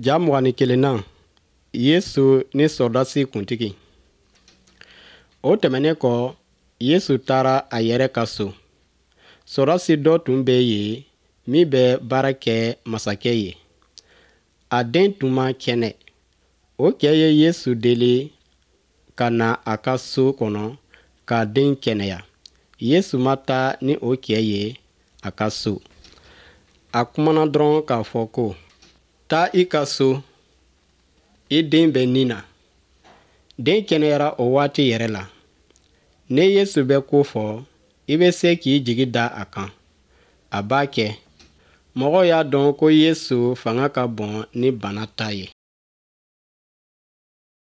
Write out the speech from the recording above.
Ja 21nan, Yesu ni sɔrɔdasi kuntigi. O tɛmɛnen kɔ, Yesu taara a yɛrɛ ka so. Sɔrɔdasi dɔ tun bɛ yen min bɛ baara kɛ masakɛ ye. A den tun man kɛnɛ. O cɛ ye Yesu deli ka na a ka so kɔnɔ k'a den kɛnɛya. Yesu ma taa ni o cɛ ye a ka so. A kumana dɔrɔn k'a fɔ ko, Taa i ka so, i den bɛ ni na. Den kɛnɛyara o waati yɛrɛ la. Ni Yesu bɛ ko fɔ, i bɛ se k'i jigi da a kan. A b'a kɛ. Mɔgɔw y'a dɔn ko Yesu fanga ka bon ni bana ta ye.